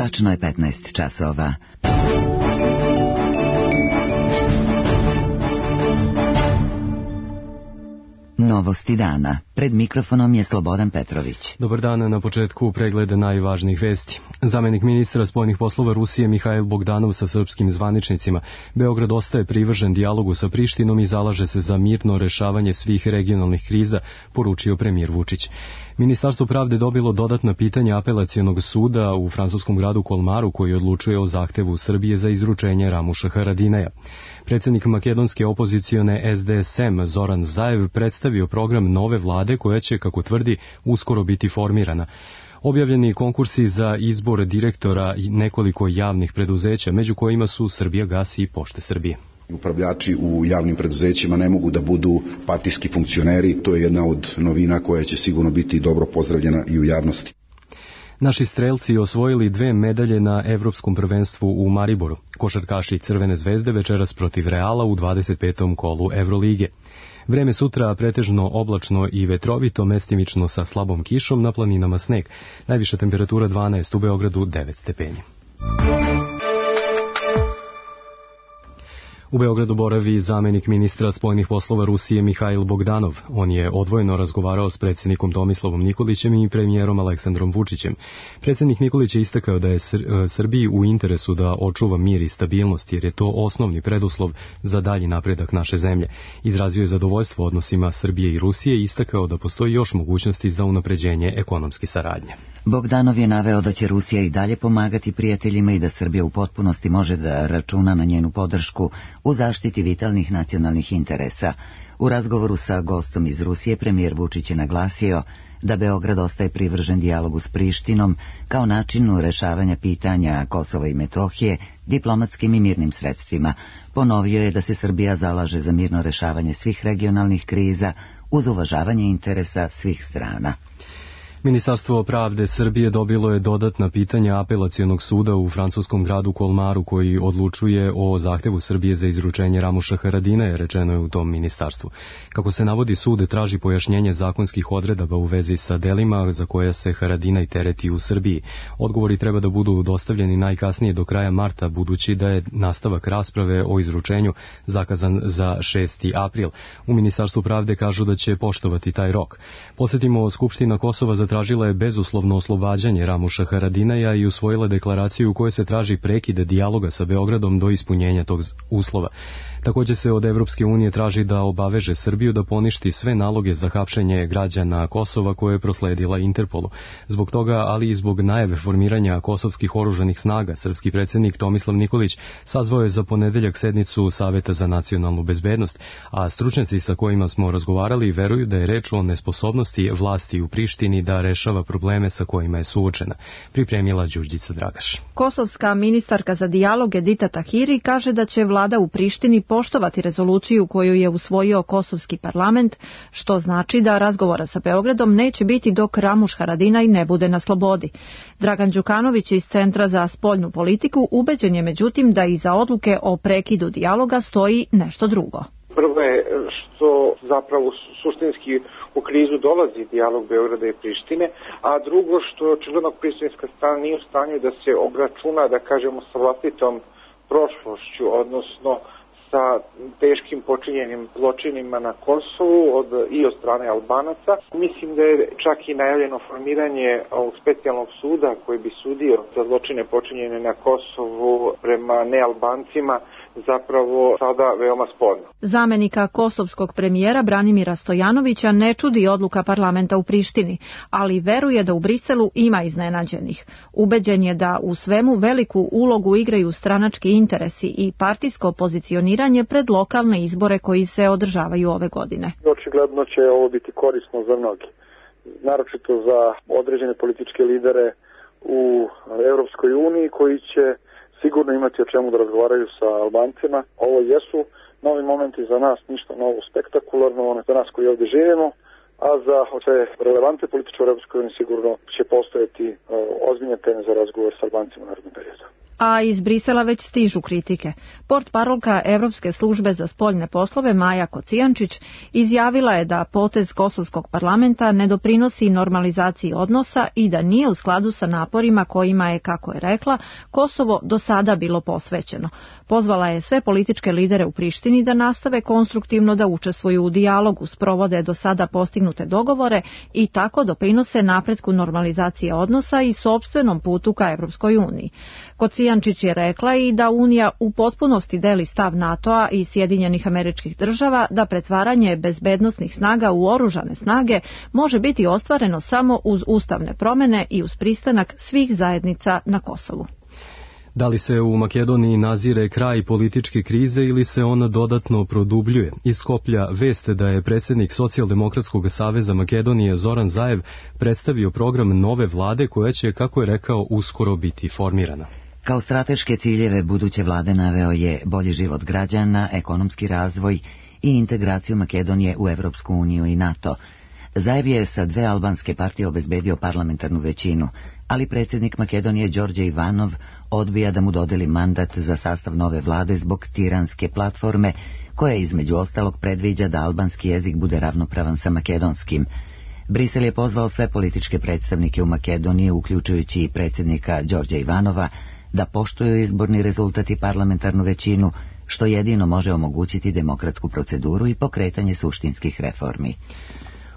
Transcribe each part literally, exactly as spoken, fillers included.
Tačno je petnaest časova. Novosti dana. Pred mikrofonom je Slobodan Petrović. Dobar dan, na početku pregleda najvažnijih vesti. Zamenik ministra spoljnih poslova Rusije Mihail Bogdanov sa srpskim zvaničnicima. Beograd ostaje privržen dijalogu sa Prištinom i zalaže se za mirno rešavanje svih regionalnih kriza, poručio premijer Vučić. Ministarstvo pravde dobilo dodatna pitanja apelacionog suda u francuskom gradu Kolmaru koji odlučuje o zahtevu Srbije za izručenje Ramuša Haradinaja. Predsjednik makedonske opozicione S D S M Zoran Zaev predstavio program nove vlade koja će, kako tvrdi, uskoro biti formirana. Objavljeni konkursi za izbor direktora i nekoliko javnih preduzeća, među kojima su Srbijagas i Pošte Srbije. Upravljači u javnim preduzećima ne mogu da budu partijski funkcioneri, to je jedna od novina koja će sigurno biti dobro pozdravljena i u javnosti. Naši strelci osvojili dve medalje na Evropskom prvenstvu u Mariboru. Košarkaši Crvene zvezde večeras protiv Reala u dvadeset petom kolu Evrolige. Vreme sutra pretežno oblačno i vetrovito, mestimično sa slabom kišom, na planinama sneg. Najviša temperatura dvanaest, u Beogradu devet stepeni. U Beogradu boravi zamenik ministra spoljnih poslova Rusije Mihail Bogdanov. On je odvojeno razgovarao s predsjednikom Tomislavom Nikolićem i premijerom Aleksandrom Vučićem. Predsjednik Nikolić je istakao da je Srbiji u interesu da očuva mir i stabilnost, jer je to osnovni preduslov za dalji napredak naše zemlje. Izrazio je zadovoljstvo odnosima Srbije i Rusije i istakao da postoji još mogućnosti za unapređenje ekonomske saradnje. Bogdanov je naveo da će Rusija i dalje pomagati prijateljima i da Srbija u potpunosti može da računa na njenu podršku u zaštiti vitalnih nacionalnih interesa. U razgovoru sa gostom iz Rusije premijer Vučić je naglasio da Beograd ostaje privržen dijalogu s Prištinom kao načinu rešavanja pitanja Kosova i Metohije diplomatskim i mirnim sredstvima. Ponovio je da se Srbija zalaže za mirno rešavanje svih regionalnih kriza uz uvažavanje interesa svih strana. Ministarstvo pravde Srbije dobilo je dodatna pitanja apelacionog suda u francuskom gradu Kolmaru koji odlučuje o zahtevu Srbije za izručenje Ramuša Haradinaja, rečeno je u tom ministarstvu. Kako se navodi, sud traži pojašnjenje zakonskih odredaba u vezi sa delima za koja se Haradinaj tereti u Srbiji. Odgovori treba da budu dostavljeni najkasnije do kraja marta, budući da je nastavak rasprave o izručenju zakazan za šesti april. U Ministarstvu pravde kažu da će poštovati taj rok. Podsjetimo, Skupština Kosova za tražila je bezuslovno oslobađanje Ramuša Haradinaja i usvojila deklaraciju u kojoj se traži prekid dijaloga sa Beogradom do ispunjenja tog uslova. Također se od Evropske unije traži da obaveže Srbiju da poništi sve naloge za hapšenje građana Kosova koje je prosledila Interpolu. Zbog toga, ali i zbog najave formiranja kosovskih oružanih snaga, srpski predsjednik Tomislav Nikolić sazvao je za ponedeljak sednicu Saveta za nacionalnu bezbednost, a stručnjaci sa kojima smo razgovarali veruju da je reč o nesposobnosti vlasti u Prištini da rešava probleme sa kojima je suočena, pripremila Đurđica Dragaš. Kosovska ministarka za dijalog Edita Tahiri kaže da će vlada u Prištini poštovati rezoluciju koju je usvojio kosovski parlament, što znači da razgovora sa Beogradom neće biti dok Ramuš Haradinaj ne bude na slobodi. Dragan Đukanović iz Centra za spoljnu politiku ubeđen je međutim da iza odluke o prekidu dijaloga stoji nešto drugo. Prvo je što zapravo suštinski u krizu dolazi dijalog Beograda i Prištine, a drugo što očigledno prištinska strana nije u stanju da se obračuna, da kažemo, sa vlastitom prošlošću, odnosno sa teškim počinjenim zločinima na Kosovu od, i od strane Albanaca. Mislim da je čak i najavljeno formiranje ovog specijalnog suda koji bi sudio za zločine počinjene na Kosovu prema nealbancima, zapravo sada veoma sporno. Zamenika kosovskog premijera Branimira Stojanovića ne čudi odluka parlamenta u Prištini, ali veruje da u Briselu ima iznenađenih. Ubeđen je da u svemu veliku ulogu igraju stranački interesi i partijsko pozicioniranje pred lokalne izbore koji se održavaju ove godine. Očigledno će ovo biti korisno za mnogi, naročito za određene političke lidere u Evropskoj uniji koji će sigurno imati o čemu da razgovaraju sa Albancima. Ovo jesu novi momenti za nas, ništa novo spektakularno, ono za nas koji ovdje živimo, a za sve relevantne političke u Europskoj uniji sigurno će postojati ozbiljne teme za razgovor sa Albancima u narednom periodu. a iz Brisela već stižu kritike. Portparolka Evropske službe za spoljne poslove Maja Kocijančić izjavila je da potez Kosovskog parlamenta ne doprinosi normalizaciji odnosa i da nije u skladu sa naporima kojima je, kako je rekla, Kosovo do sada bilo posvećeno. Pozvala je sve političke lidere u Prištini da nastave konstruktivno da učestvuju u dijalogu, sprovode do sada postignute dogovore i tako doprinose napretku normalizacije odnosa i sopstvenom putu ka Evropskoj uniji. Kocijančić je rekla i da Unija u potpunosti deli stav NATO-a i Sjedinjenih Američkih Država da pretvaranje bezbednosnih snaga u oružane snage može biti ostvareno samo uz ustavne promene i uz pristanak svih zajednica na Kosovu. Da li se u Makedoniji nazire kraj političke krize ili se ona dodatno produbljuje? Iz Skoplja veste da je predsjednik Socijaldemokratskog saveza Makedonije Zoran Zaev predstavio program nove vlade koja će, kako je rekao, uskoro biti formirana. Kao strateške ciljeve buduće vlade naveo je bolji život građana, ekonomski razvoj i integraciju Makedonije u Evropsku uniju i NATO. Zaev je sa dve albanske partije obezbedio parlamentarnu većinu, ali predsjednik Makedonije Đorđe Ivanov odbija da mu dodeli mandat za sastav nove vlade zbog tiranske platforme, koja između ostalog predviđa da albanski jezik bude ravnopravan sa makedonskim. Brisel je pozvao sve političke predstavnike u Makedoniji, uključujući i predsjednika Đorđa Ivanova, da poštuju izborni rezultat i parlamentarnu većinu, što jedino može omogućiti demokratsku proceduru i pokretanje suštinskih reformi.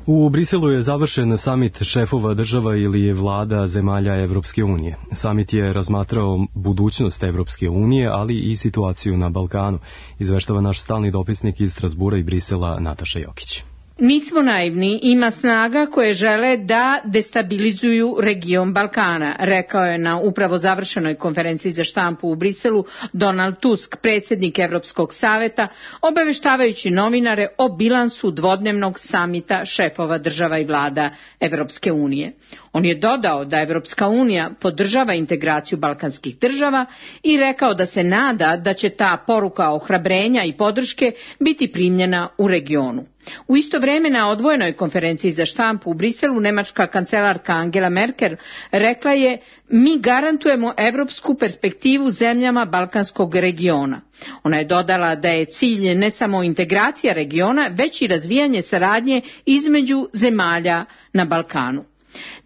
U Briselu je završen samit šefova država ili vlada zemalja Evropske unije. Samit je razmatrao budućnost Evropske unije, ali i situaciju na Balkanu, izveštava naš stalni dopisnik iz Strasbura i Brisela Nataša Jokić. Nismo naivni, ima snaga koje žele da destabilizuju region Balkana, rekao je na upravo završenoj konferenciji za štampu u Briselu Donald Tusk, predsjednik Evropskog saveta, obaveštavajući novinare o bilansu dvodnevnog samita šefova država i vlada Evropske unije. On je dodao da Evropska unija podržava integraciju balkanskih država i rekao da se nada da će ta poruka ohrabrenja i podrške biti primljena u regionu. U isto vrijeme na odvojenoj konferenciji za štampu u Briselu nemačka kancelarka Angela Merkel rekla je: mi garantujemo evropsku perspektivu zemljama balkanskog regiona. Ona je dodala da je cilj ne samo integracija regiona, već i razvijanje saradnje između zemalja na Balkanu.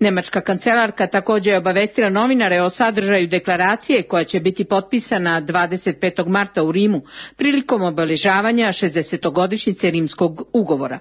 Nemačka kancelarka također je obavestila novinare o sadržaju deklaracije koja će biti potpisana dvadeset petog marta u Rimu prilikom obeležavanja šezdesetogodišnjice Rimskog ugovora.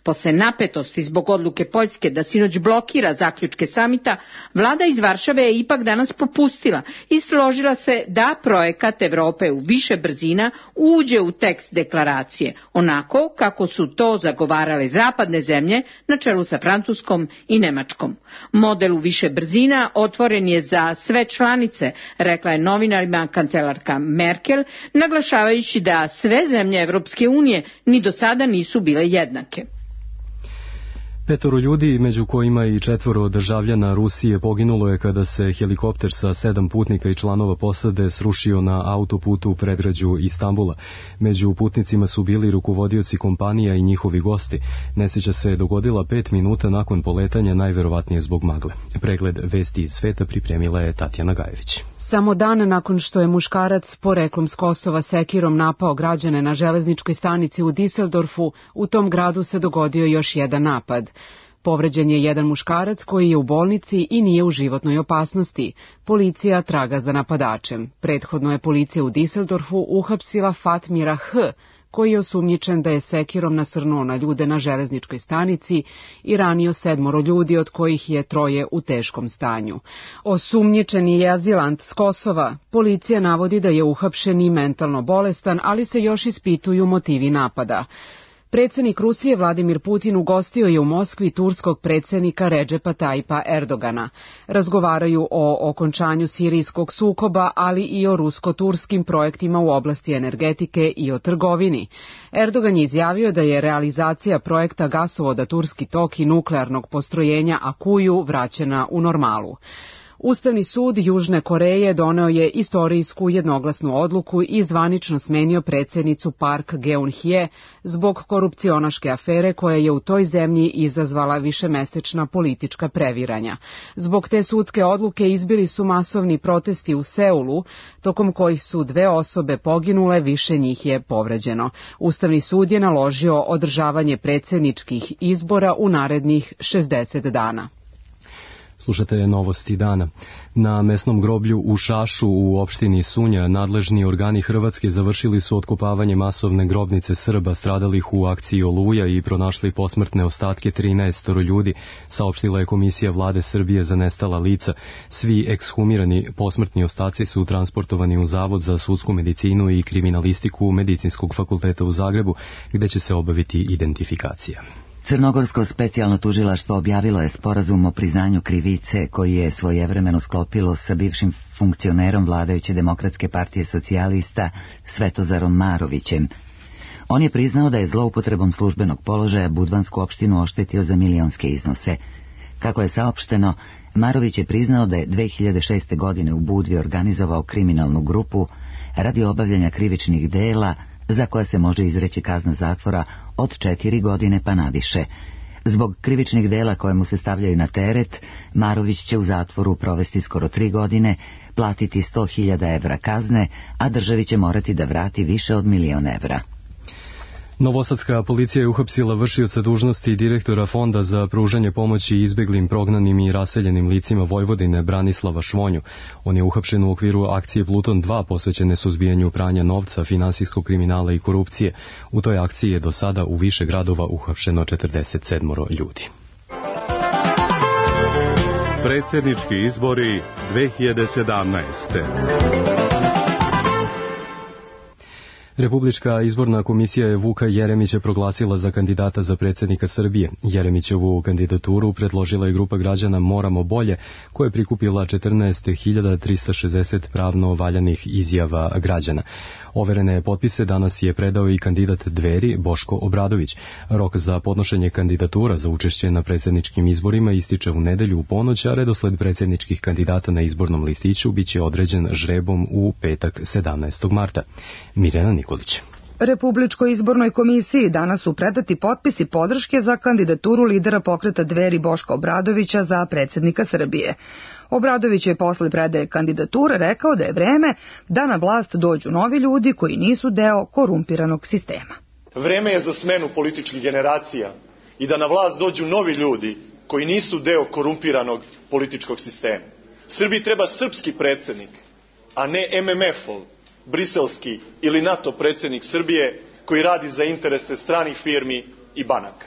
Posle napetosti zbog odluke Poljske da sinoć blokira zaključke samita, vlada iz Varšave je ipak danas popustila i složila se da projekat Evrope u više brzina uđe u tekst deklaracije, onako kako su to zagovarale zapadne zemlje na čelu sa Francuskom i Nemačkom. Model u više brzina otvoren je za sve članice, rekla je novinarima kancelarka Merkel, naglašavajući da sve zemlje Evropske unije ni do sada nisu bile jednake. Petoro ljudi, među kojima i četvoro državljana Rusije, poginulo je kada se helikopter sa sedam putnika i članova posade srušio na autoputu u predgrađu Istanbula. Među putnicima su bili rukovodioci kompanija i njihovi gosti. Nesreća se dogodila pet minuta nakon poletanja, najverovatnije zbog magle. Pregled vesti iz sveta pripremila je Tatjana Gajević. Samo dan nakon što je muškarac poreklom s Kosova sekirom napao građane na železničkoj stanici u Düsseldorfu, u tom gradu se dogodio još jedan napad. Povređen je jedan muškarac koji je u bolnici i nije u životnoj opasnosti. Policija traga za napadačem. Prethodno je policija u Düsseldorfu uhapsila Fatmira H., koji je osumnjičen da je sekirom nasrnuo na ljude na železničkoj stanici i ranio sedmoro ljudi, od kojih je troje u teškom stanju. Osumnjičeni je azilant s Kosova. Policija navodi da je uhapšen i mentalno bolestan, ali se još ispituju motivi napada. Predsjednik Rusije Vladimir Putin ugostio je u Moskvi turskog predsjednika Redžepa Tajipa Erdogana. Razgovaraju o okončanju sirijskog sukoba, ali i o rusko-turskim projektima u oblasti energetike i o trgovini. Erdogan je izjavio da je realizacija projekta gasovoda Turski tok i nuklearnog postrojenja Akuju vraćena u normalu. Ustavni sud Južne Koreje doneo je istorijsku jednoglasnu odluku i zvanično smenio predsjednicu Park Geun-hye zbog korupcionaške afere koja je u toj zemlji izazvala višemesečna politička previranja. Zbog te sudske odluke izbili su masovni protesti u Seulu, tokom kojih su dve osobe poginule, više njih je povređeno. Ustavni sud je naložio održavanje predsjedničkih izbora u narednih šezdeset dana. Slušate novosti dana. Na mesnom groblju u Šašu u opštini Sunja nadležni organi Hrvatske završili su otkopavanje masovne grobnice Srba stradalih u akciji Oluja i pronašli posmrtne ostatke trinaest ljudi, saopštila je Komisija Vlade Srbije za nestala lica. Svi ekshumirani posmrtni ostaci su transportovani u Zavod za sudsku medicinu i kriminalistiku Medicinskog fakulteta u Zagrebu, gde će se obaviti identifikacija. Crnogorsko specijalno tužilaštvo objavilo je sporazum o priznanju krivice koji je svojevremeno sklopilo sa bivšim funkcionerom vladajuće Demokratske partije socijalista Svetozarom Marovićem. On je priznao da je zloupotrebom službenog položaja Budvansku opštinu oštetio za milionske iznose. Kako je saopšteno, Marović je priznao da je dve hiljade šeste. godine u Budvi organizovao kriminalnu grupu radi obavljanja krivičnih dela za koja se može izreći kazna zatvora od četiri godine pa naviše. Zbog krivičnih dela koje mu se stavljaju na teret, Marović će u zatvoru provesti skoro tri godine, platiti sto hiljada evra kazne, a državi će morati da vrati više od milion evra. Novosadska policija je uhapsila vršioca dužnosti direktora Fonda za pružanje pomoći izbeglim, prognanim i raseljenim licima Vojvodine Branislava Švonju. On je uhapšen u okviru akcije Pluton dva posvećene suzbijanju pranja novca, finansijskog kriminala i korupcije. U toj akciji je do sada u više gradova uhapšeno četrdeset sedam ljudi. Predsjednički izbori dve hiljade sedamnaeste. Republička izborna komisija je Vuka Jeremića proglasila za kandidata za predsjednika Srbije. Jeremićevu kandidaturu predložila je grupa građana Moramo bolje, koja je prikupila četrnaest hiljada trista šezdeset pravno valjanih izjava građana. Overene potpise danas je predao i kandidat Dveri Boško Obradović. Rok za podnošenje kandidatura za učešće na predsjedničkim izborima ističe u nedelju u ponoć, a redosled predsjedničkih kandidata na izbornom listiću biće određen žrebom u petak sedamnaestog marta. Mirjana Nikolić. Republičkoj izbornoj komisiji danas su predati potpisi podrške za kandidaturu lidera pokreta Dveri Boška Obradovića za predsjednika Srbije. Obradović je posle predaje kandidature rekao da je vreme da na vlast dođu novi ljudi koji nisu deo korumpiranog sistema. Vreme je za smenu političkih generacija i da na vlast dođu novi ljudi koji nisu deo korumpiranog političkog sistema. Srbiji treba srpski predsjednik, a ne em em ef-ov, briselski ili NATO predsjednik Srbije koji radi za interese stranih firmi i banaka.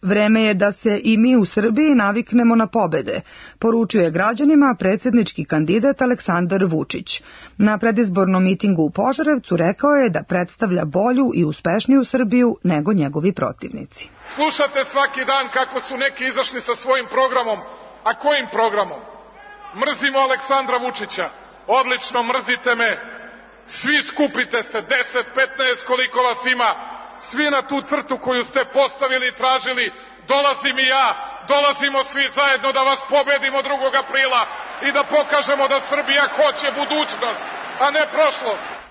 Vreme je da se i mi u Srbiji naviknemo na pobede, poručuje građanima predsjednički kandidat Aleksandar Vučić. Na predizbornom mitingu u Požarevcu rekao je da predstavlja bolju i uspešniju Srbiju nego njegovi protivnici. Slušate svaki dan kako su neki izašli sa svojim programom, a kojim programom? Mrzimo Aleksandra Vučića, odlično, mrzite me, svi skupite se, deset, petnaest, koliko vas ima, svi na tu crtu koju ste postavili i tražili, dolazim i ja, dolazimo svi zajedno da vas pobedimo drugog aprila i da pokažemo da Srbija hoće budućnost, a ne prošlost.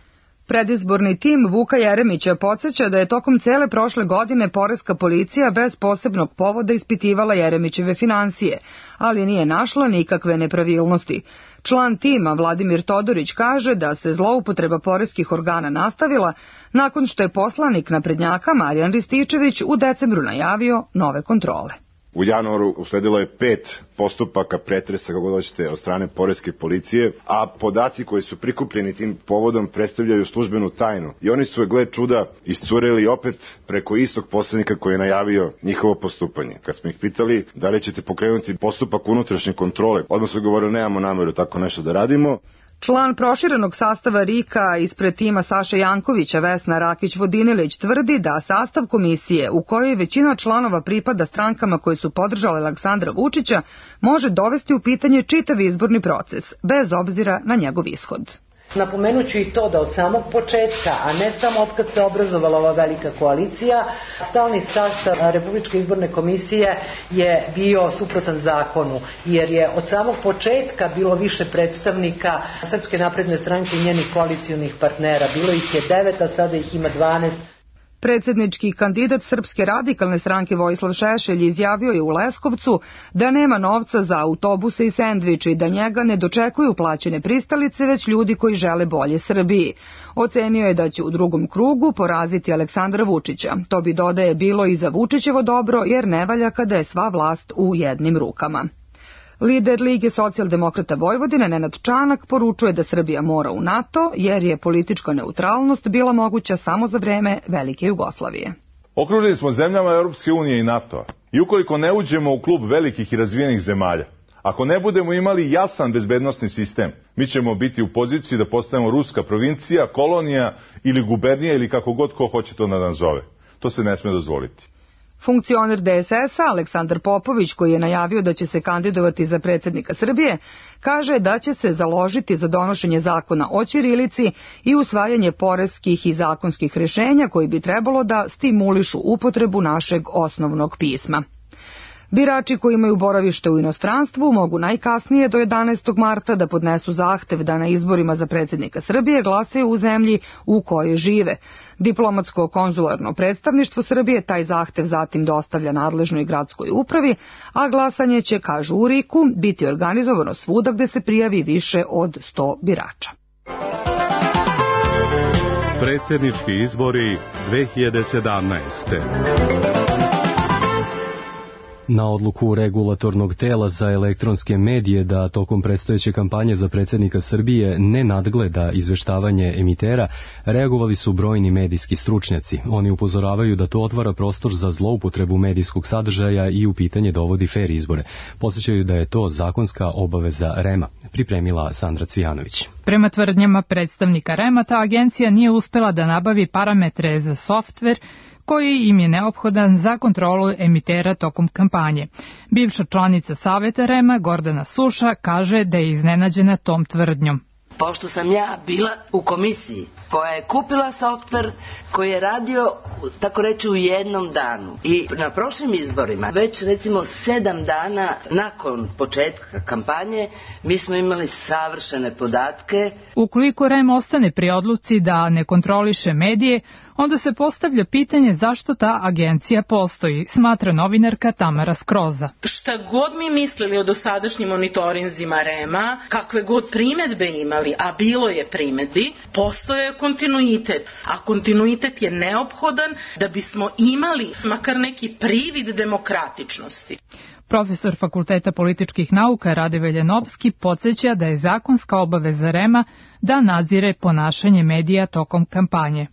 Predizborni tim Vuka Jeremića podsjeća da je tokom cele prošle godine poreska policija bez posebnog povoda ispitivala Jeremićeve finansije, ali nije našla nikakve nepravilnosti. Član tima Vladimir Todorić kaže da se zloupotreba poreskih organa nastavila nakon što je poslanik naprednjaka Marijan Rističević u decembru najavio nove kontrole. U januaru usledilo je pet postupaka pretresa, kako hoćete, od strane poreske policije, a podaci koji su prikupljeni tim povodom predstavljaju službenu tajnu. I oni su, gle čuda, iscureli opet preko istog poslanika koji je najavio njihovo postupanje. Kad smo ih pitali da li ćete pokrenuti postupak unutrašnje kontrole, odmah su govorili nemamo nameru tako nešto da radimo. Član proširenog sastava RIK-a ispred tima Saše Jankovića Vesna Rakić-Vodinilić tvrdi da sastav komisije, u kojoj većina članova pripada strankama koje su podržale Aleksandra Vučića, može dovesti u pitanje čitav izborni proces, bez obzira na njegov ishod. Napomenuću i to da od samog početka, a ne samo od kad se obrazovala ova velika koalicija, stalni sastav Republičke izborne komisije je bio suprotan zakonu, jer je od samog početka bilo više predstavnika Srpske napredne stranke i njenih koalicionih partnera. Bilo ih je devet, a sada ih ima dvanaest. Predsjednički kandidat Srpske radikalne stranke Vojislav Šešelj izjavio je u Leskovcu da nema novca za autobuse i sendviče i da njega ne dočekuju plaćene pristalice, već ljudi koji žele bolje Srbiji. Ocenio je da će u drugom krugu poraziti Aleksandra Vučića. To bi, dodaje, bilo i za Vučićevo dobro, jer ne valja kada je sva vlast u jednim rukama. Lider Lige socijaldemokrata Vojvodine Nenad Čanak poručuje da Srbija mora u NATO jer je politička neutralnost bila moguća samo za vreme Velike Jugoslavije. Okruženi smo zemljama Europske unije i NATO-a i ukoliko ne uđemo u klub velikih i razvijenih zemalja, ako ne budemo imali jasan bezbednosni sistem, mi ćemo biti u poziciji da postanemo ruska provincija, kolonija ili gubernija ili kako god ko hoće to da nas zove. To se ne sme dozvoliti. Funkcioner D S S-a Aleksandar Popović, koji je najavio da će se kandidovati za predsjednika Srbije, kaže da će se založiti za donošenje zakona o ćirilici i usvajanje poreskih i zakonskih rješenja koji bi trebalo da stimulišu upotrebu našeg osnovnog pisma. Birači koji imaju boravište u inostranstvu mogu najkasnije do jedanaestog marta da podnesu zahtev da na izborima za predsjednika Srbije glasaju u zemlji u kojoj žive. Diplomatsko-konzularno predstavništvo Srbije taj zahtev zatim dostavlja nadležnoj gradskoj upravi, a glasanje će, kažu u RIK-u, biti organizovano svuda gde se prijavi više od sto birača. Predsjednički izbori dve hiljade sedamnaeste. Na odluku regulatornog tela za elektronske medije da tokom predstojeće kampanje za predsjednika Srbije ne nadgleda izveštavanje emitera, reagovali su brojni medijski stručnjaci. Oni upozoravaju da to otvara prostor za zloupotrebu medijskog sadržaja i u pitanje dovodi fer izbore. Podsećaju da je to zakonska obaveza R E M-a, pripremila Sandra Cvijanović. Prema tvrdnjama predstavnika R E M-a, ta agencija nije uspela da nabavi parametre za softver koji im je neophodan za kontrolu emitera tokom kampanje. Bivša članica Saveta R E M-a Gordana Suša kaže da je iznenađena tom tvrdnjom. Pošto sam ja bila u komisiji koja je kupila softver koji je radio, tako reći, u jednom danu. I na prošlim izborima, već recimo sedam dana nakon početka kampanje, mi smo imali savršene podatke. Ukoliko R E M ostane pri odluci da ne kontroliše medije, onda se postavlja pitanje zašto ta agencija postoji, smatra novinarka Tamara Skroza. Šta god mi mislili o dosadašnjim monitorinzima R E M-a, kakve god primedbe imali, a bilo je primedbi, postoje kontinuitet. A kontinuitet je neophodan da bismo imali makar neki privid demokratičnosti. Profesor Fakulteta političkih nauka Rade Veljanovski podsjeća da je zakonska obaveza R E M-a da nadzire ponašanje medija tokom kampanje.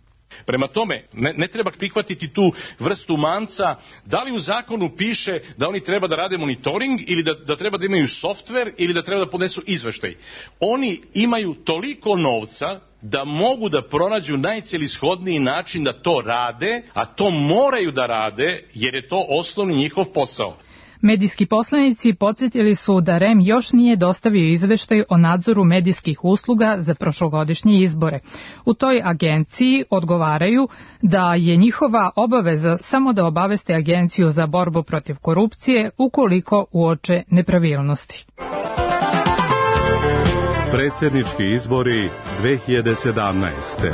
Prema tome, ne, ne treba prihvatiti tu vrstu manca, da li u zakonu piše da oni treba da rade monitoring ili da, da treba da imaju softver ili da treba da podnesu izveštaj. Oni imaju toliko novca da mogu da pronađu najcelishodniji način da to rade, a to moraju da rade jer je to osnovni njihov posao. Medijski poslanici podsjetili su da R E M još nije dostavio izveštaj o nadzoru medijskih usluga za prošlogodišnje izbore. U toj agenciji odgovaraju da je njihova obaveza samo da obaveste Agenciju za borbu protiv korupcije ukoliko uoče nepravilnosti. Predsjednički izbori dve hiljade sedamnaeste.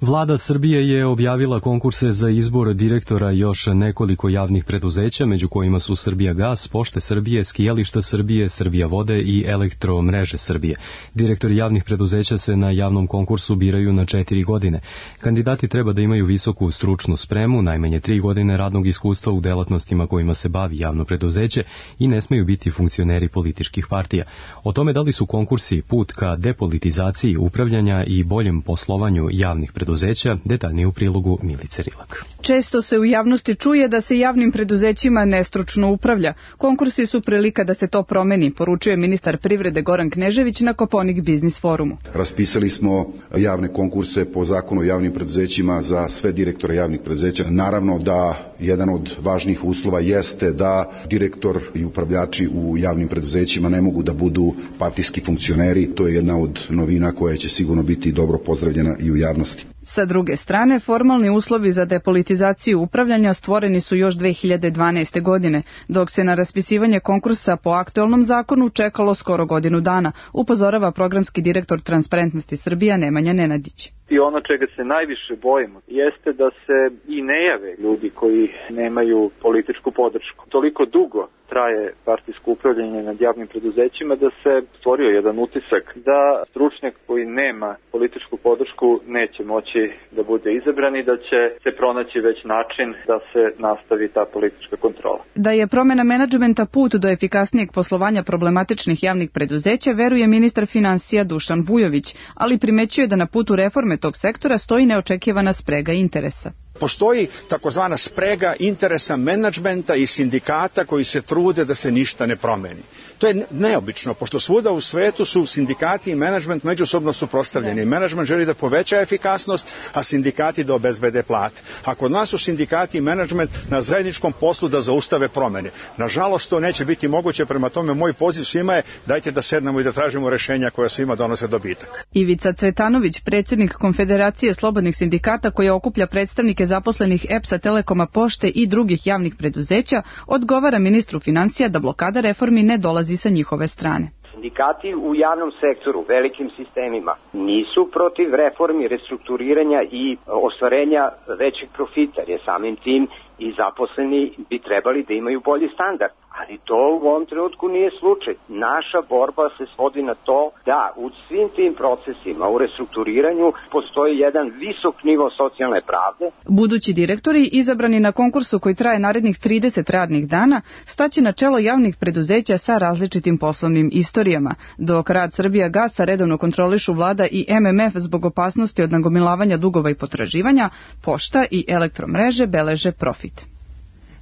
Vlada Srbije je objavila konkurse za izbor direktora još nekoliko javnih preduzeća, među kojima su Srbijagas, Pošte Srbije, Skijališta Srbije, Srbija vode i Elektromreže Srbije. Direktori javnih preduzeća se na javnom konkursu biraju na četiri godine. Kandidati treba da imaju visoku stručnu spremu, najmanje tri godine radnog iskustva u delatnostima kojima se bavi javno preduzeće i ne smeju biti funkcioneri političkih partija. O tome da li su konkursi put ka depolitizaciji upravljanja i boljem poslovanju javnih preduzeća preduzeća, detaljnije u prilogu Milice Rilak. Često se u javnosti čuje da se javnim preduzećima nestručno upravlja. Konkursi su prilika da se to promeni, poručuje ministar privrede Goran Knežević na Koponik Biznis forumu. Raspisali smo javne konkurse po zakonu o javnim preduzećima za sve direktore javnih preduzeća. Naravno da jedan od važnijih uslova jeste da direktor i upravljači u javnim preduzećima ne mogu da budu partijski funkcioneri. To je jedna od novina koja će sigurno biti dobro pozdravljena i u javnosti. Sa druge strane, formalni uslovi za depolitizaciju upravljanja stvoreni su još dve hiljade dvanaeste. godine, dok se na raspisivanje konkursa po aktuelnom zakonu čekalo skoro godinu dana, upozorava programski direktor Transparentnosti Srbija Nemanja Nenadić. I ono čega se najviše bojimo jeste da se i ne jave ljudi koji nemaju političku podršku. Toliko dugo traje partijsko upravljanje nad javnim preduzećima da se stvorio jedan utisak da stručnjak koji nema političku podršku neće moći da bude izabran i da će se pronaći već način da se nastavi ta politička kontrola. Da je promena menadžmenta put do efikasnijeg poslovanja problematičnih javnih preduzeća, veruje ministar finansija Dušan Vujović, ali primećuje da na putu reforme tog sektora stoji neočekivana sprega interesa. Postoji takozvana sprega interesa menadžmenta i sindikata koji se trude da se ništa ne promeni. To je neobično, pošto svuda u svetu su sindikati i menadžment međusobno suprotstavljeni. Menadžment želi da poveća efikasnost, a sindikati da obezbede plate. A kod nas su sindikati i menadžment na zajedničkom poslu da zaustave promene. Nažalost, to neće biti moguće, prema tome moj poziv svima je dajte da sednemo i da tražimo rešenja koja svima donose dobitak. Ivica Cvetanović, predsjednik Konfederacije slobodnih sindikata koja okuplja predstavnike zaposlenih E P S-a, Telekoma, Pošte i drugih javnih preduzeća, odgovara ministru financija da blokada reformi ne dolazi sa njihove strane. Sindikati u javnom sektoru, velikim sistemima, nisu protiv reformi, restrukturiranja i ostvarenja većeg profita, jer samim tim i zaposleni bi trebali da imaju bolji standard. Ali to u ovom trenutku nije slučaj. Naša borba se svodi na to da u svim tim procesima, u restrukturiranju, postoji jedan visok nivo socijalne pravde. Budući direktori, izabrani na konkursu koji traje narednih trideset radnih dana, staće na čelo javnih preduzeća sa različitim poslovnim istorijama, dok rad Srbijagasa redovno kontrolišu vlada i M M F zbog opasnosti od nagomilavanja dugova i potraživanja, Pošta i Elektromreže beleže profit.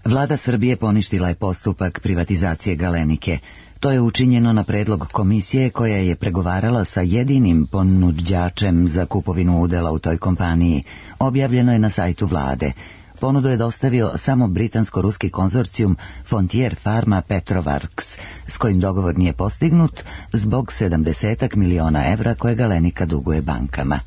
Vlada Srbije poništila je postupak privatizacije Galenike. To je učinjeno na predlog komisije koja je pregovarala sa jedinim ponuđačem za kupovinu udela u toj kompaniji. Objavljeno je na sajtu vlade. Ponudu je dostavio samo britansko-ruski konzorcijum Frontier Pharma Petrovarks, s kojim dogovor nije postignut zbog sedamdeset miliona evra koje Galenika duguje bankama.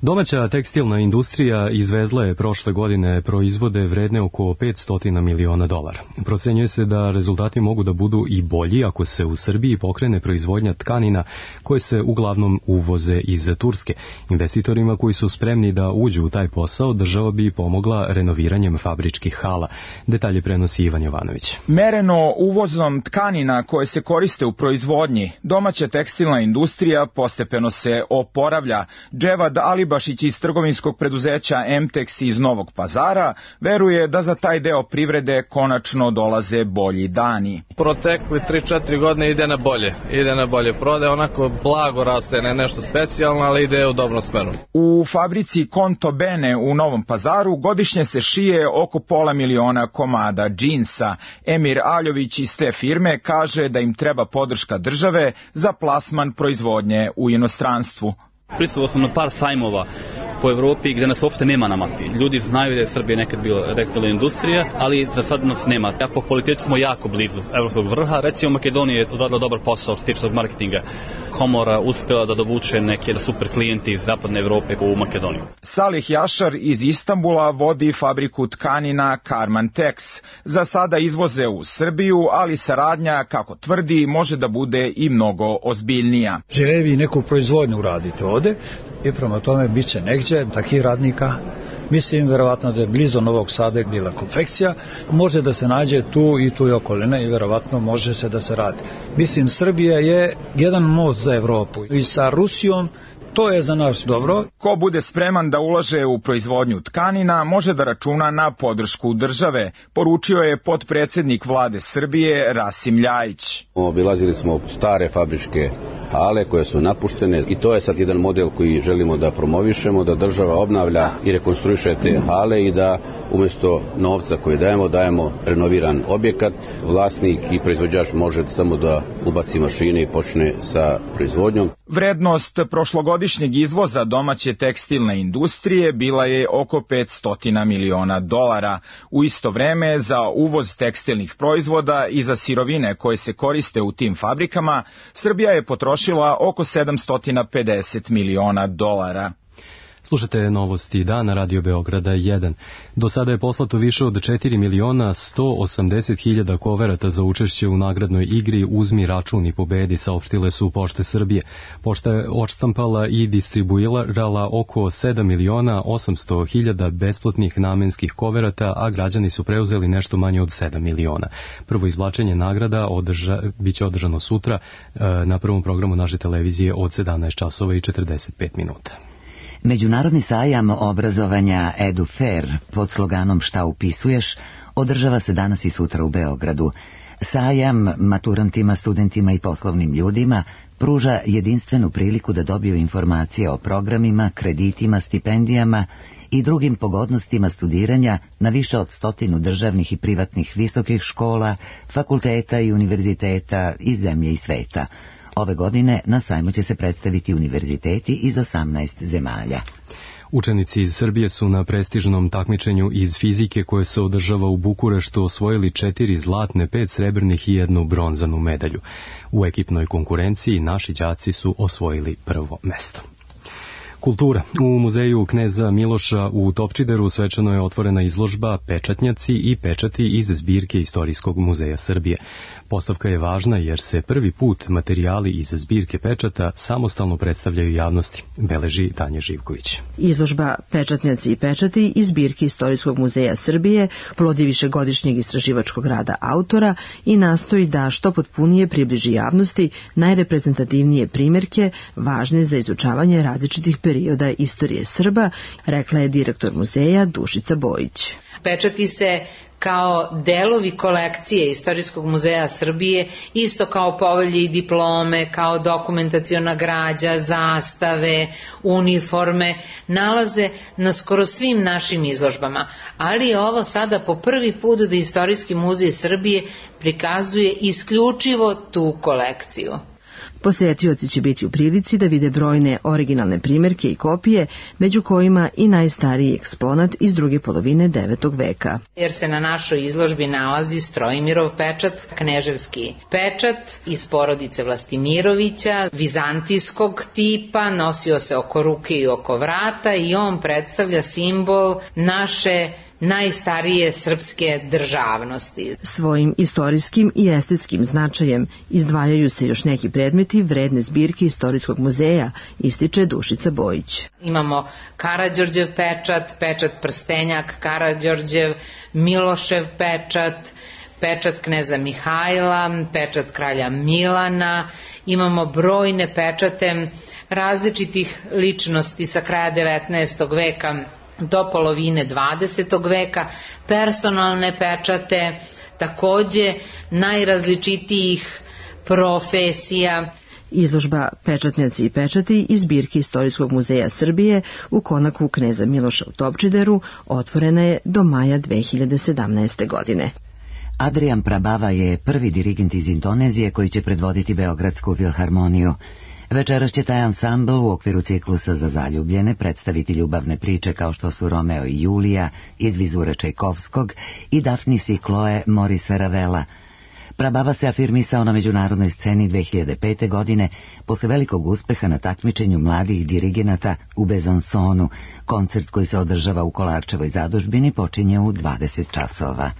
Domaća tekstilna industrija izvezla je prošle godine proizvode vredne oko petsto miliona dolara. Procenjuje se da rezultati mogu da budu i bolji ako se u Srbiji pokrene proizvodnja tkanina koje se uglavnom uvoze iz Turske. Investitorima koji su spremni da uđu u taj posao država bi pomogla renoviranjem fabričkih hala. Detalje prenosi Ivan Jovanović. Mereno uvozom tkanina koje se koriste u proizvodnji, domaća tekstilna industrija postepeno se oporavlja. Dževad Ali Bašić iz trgovinskog preduzeća Emtex iz Novog Pazara veruje da za taj deo privrede konačno dolaze bolji dani. Protekli tri četiri godine ide na bolje, ide na bolje prodaje, onako blago raste, ne nešto specijalno, ali ide u dobrom smeru. U fabrici Konto Bene u Novom Pazaru godišnje se šije oko pola miliona komada džinsa. Emir Aljović iz te firme kaže da im treba podrška države za plasman proizvodnje u inostranstvu. Prisustvovao sam na par sajmova po Evropi gde nas uopšte nema na mapi. Ljudi znaju da je Srbija nekad bila tekstilna industrija, ali za sad nas nema. Ja po kvalitetu smo jako blizu evropskog vrha. Recimo Makedonija je odradila dobar posao što se tiče marketinga. Komora uspjela da dovuče neke super klijenti iz zapadne Evrope u Makedoniju. Salih Jašar iz Istanbula vodi fabriku tkanina Karman Tex. Za sada izvoze u Srbiju, ali saradnja, kako tvrdi, može da bude i mnogo ozbiljnija. Žele vi neku proizvodnju uraditi ovde i prema tome bit će negdje takih radnika. Mislim, verovatno da je blizu Novog Sada bila konfekcija, može da se nađe tu i tu i okolina i verovatno može se da se radi. Mislim, Srbija je jedan most za Evropu i sa Rusijom to je za nas dobro. Ko bude spreman da ulaže u proizvodnju tkanina, može da računa na podršku države, poručio je potpredsednik vlade Srbije Rasim Ljajić. Obilazili smo stare fabričke hale koje su napuštene i to je sad jedan model koji želimo da promovišemo, da država obnavlja i rekonstruiše te hale i da umjesto novca koji dajemo, dajemo renoviran objekat. Vlasnik i proizvođač može samo da ubaci mašine i počne sa proizvodnjom. Vrednost prošlogodišnjeg izvoza domaće tekstilne industrije bila je oko petsto miliona dolara. U isto vreme za uvoz tekstilnih proizvoda i za sirovine koje se koriste u tim fabrikama, Srbija je potrošila oko sedamsto pedeset miliona dolara. Slušate novosti dana Radio Beograda jedan. Do sada je poslato više od četiri miliona sto osamdeset hiljada koverata za učešće u nagradnoj igri Uzmi račun i pobedi, saopštile su Pošte Srbije. Pošta je odštampala i distribuirala oko sedam miliona osamsto hiljada besplatnih namenskih koverata, a građani su preuzeli nešto manje od sedam miliona. Prvo izvlačenje nagrada održa, biće održano sutra na prvom programu naše televizije od sedamnaest časova i četrdeset pet minuta. Međunarodni sajam obrazovanja EduFair pod sloganom Šta upisuješ održava se danas i sutra u Beogradu. Sajam maturantima, studentima i poslovnim ljudima pruža jedinstvenu priliku da dobiju informacije o programima, kreditima, stipendijama i drugim pogodnostima studiranja na više od stotinu državnih i privatnih visokih škola, fakulteta i univerziteta iz zemlje i sveta. Ove godine na sajmu će se predstaviti univerziteti iz osamnaest zemalja. Učenici iz Srbije su na prestižnom takmičenju iz fizike koje se održava u Bukureštu osvojili četiri zlatne, pet srebrnih i jednu bronzanu medalju. U ekipnoj konkurenciji naši đaci su osvojili prvo mesto. Kultura. U muzeju kneza Miloša u Topčideru svečano je otvorena izložba Pečatnjaci i pečati iz zbirke Istorijskog muzeja Srbije. Postavka je važna jer se prvi put materijali iz zbirke pečata samostalno predstavljaju javnosti, beleži Tanja Živković. Izložba Pečatnjaci i pečati iz zbirke Istorijskog muzeja Srbije plod je višegodišnjeg istraživačkog rada autora i nastoji da što potpunije približi javnosti najreprezentativnije primjerke važne za izučavanje različitih perioda istorije Srba, rekla je direktor muzeja Dušica Bojić. Pečati se kao delovi kolekcije Istorijskog muzeja Srbije, isto kao povelje i diplome, kao dokumentaciona građa, zastave, uniforme, nalaze na skoro svim našim izložbama. Ali je ovo sada po prvi put da Istorijski muzej Srbije prikazuje isključivo tu kolekciju. Posetioci će biti u prilici da vide brojne originalne primjerke i kopije, među kojima i najstariji eksponat iz druge polovine devetog veka. Jer se na našoj izložbi nalazi Strojimirov pečat, kneževski pečat iz porodice Vlastimirovića, vizantijskog tipa, nosio se oko ruke i oko vrata i on predstavlja simbol naše najstarije srpske državnosti. Svojim istorijskim i estetskim značajem izdvajaju se još neki predmeti vredne zbirke Istorijskog muzeja, ističe Dušica Bojić. Imamo Karađorđev pečat, pečat prstenjak Karađorđev, Milošev pečat, pečat kneza Mihajla, pečat kralja Milana, imamo brojne pečate različitih ličnosti sa kraja devetnaestog veka do polovine dvadesetog veka, personalne pečate, takođe najrazličitijih profesija. Izložba Pečatnjaci i pečati iz zbirke Istorijskog muzeja Srbije u konaku kneza Miloša u Topčideru otvorena je do maja dve hiljade sedamnaeste. godine. Adrian Prabava je prvi dirigent iz Indonezije koji će predvoditi Beogradsku filharmoniju. Večeras će taj ansambl u okviru ciklusa za zaljubljene predstaviti ljubavne priče kao što su Romeo i Julija iz vizure Čajkovskog i Dafnis i Kloe Morisa Ravela. Prabava se afirmisao na međunarodnoj sceni dve hiljade pete. godine posle velikog uspeha na takmičenju mladih dirigenata u Bezansonu. Koncert koji se održava u Kolarčevoj zadužbini počinje u dvadeset časova.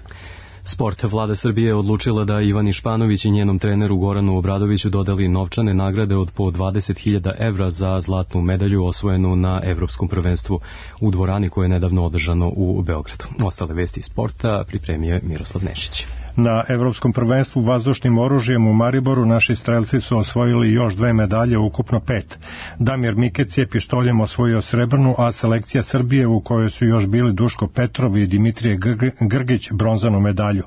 Sport. Vlada Srbije je odlučila da Ivani Španović i njenom treneru Goranu Obradoviću dodeli novčane nagrade od po dvadeset hiljada evra za zlatnu medalju osvojenu na Evropskom prvenstvu u dvorani koje je nedavno održano u Beogradu. Ostale vesti iz sporta pripremio je Miroslav Nešić. Na Evropskom prvenstvu vazdušnim oružjem u Mariboru naši strelci su osvojili još dve medalje, ukupno pet. Damir Mikec je pištoljem osvojio srebrnu, a selekcija Srbije u kojoj su još bili Duško Petrov i Dimitrije Grgić bronzanu medalju.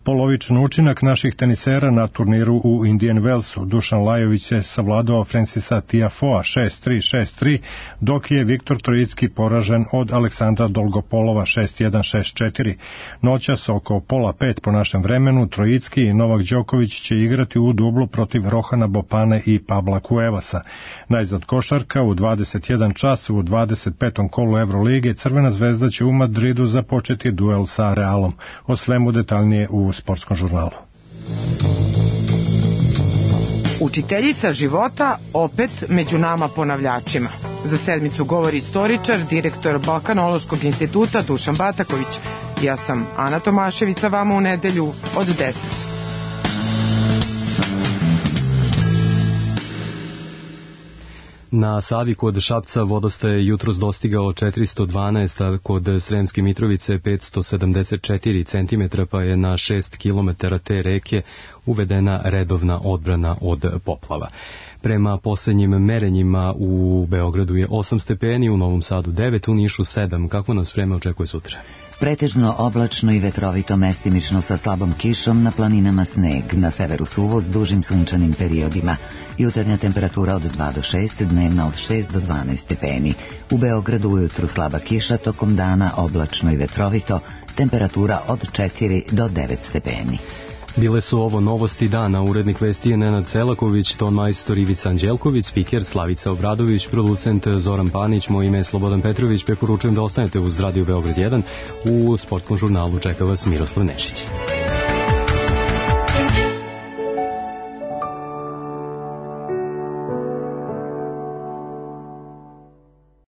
Polovičan učinak naših tenisera na turniru u Indian Wellsu. Dušan Lajović je savladao Francisa Tiafoea šest tri šest tri, dok je Viktor Trojicki poražen od Aleksandra Dolgopolova šest jedan šest četiri. Noćas oko pola pet po našem vremenu Trojicki i Novak Đoković će igrati u dublu protiv Rohana Bopane i Pabla Cuevasa. Najzad košarka u dvadeset jedan čas u dvadeset petom kolu Evrolige Crvena zvezda će u Madridu započeti duel sa Realom. O svemu detaljnije u Sportskom žurnalu. Učiteljica života opet među nama ponavljačima. Za sedmicu govori istoričar, direktor Balkanološkog instituta Dušan Bataković. Ja sam Ana Tomašević, sa vama u nedelju od deset. Na Savi kod Šapca vodostaj je jutros dostigao četiristo dvanaest, a kod Sremske Mitrovice petsto sedamdeset četiri centimetra, pa je na šest kilometara te reke uvedena redovna odbrana od poplava. Prema poslednjim merenjima u Beogradu je osam stepeni, u Novom Sadu devet, u Nišu sedam. Kako nas vreme očekuje sutra? Pretežno oblačno i vetrovito, mestimično sa slabom kišom, na planinama sneg, na severu suvo s dužim sunčanim periodima. Jutarnja temperatura od dva do šest, dnevna od šest do dvanaest stepeni. U Beogradu ujutru slaba kiša, tokom dana oblačno i vetrovito, temperatura od četiri do devet stepeni. Bile su ovo novosti dana. Urednik vesti je Nenad Celaković, ton majstor Ivica Anđelković, spiker Slavica Obradović, producent Zoran Panić, moje ime je Slobodan Petrović. Preporučujem da ostanete uz Radio Beograd jedan. U Sportskom žurnalu čeka vas Miroslav Nešić.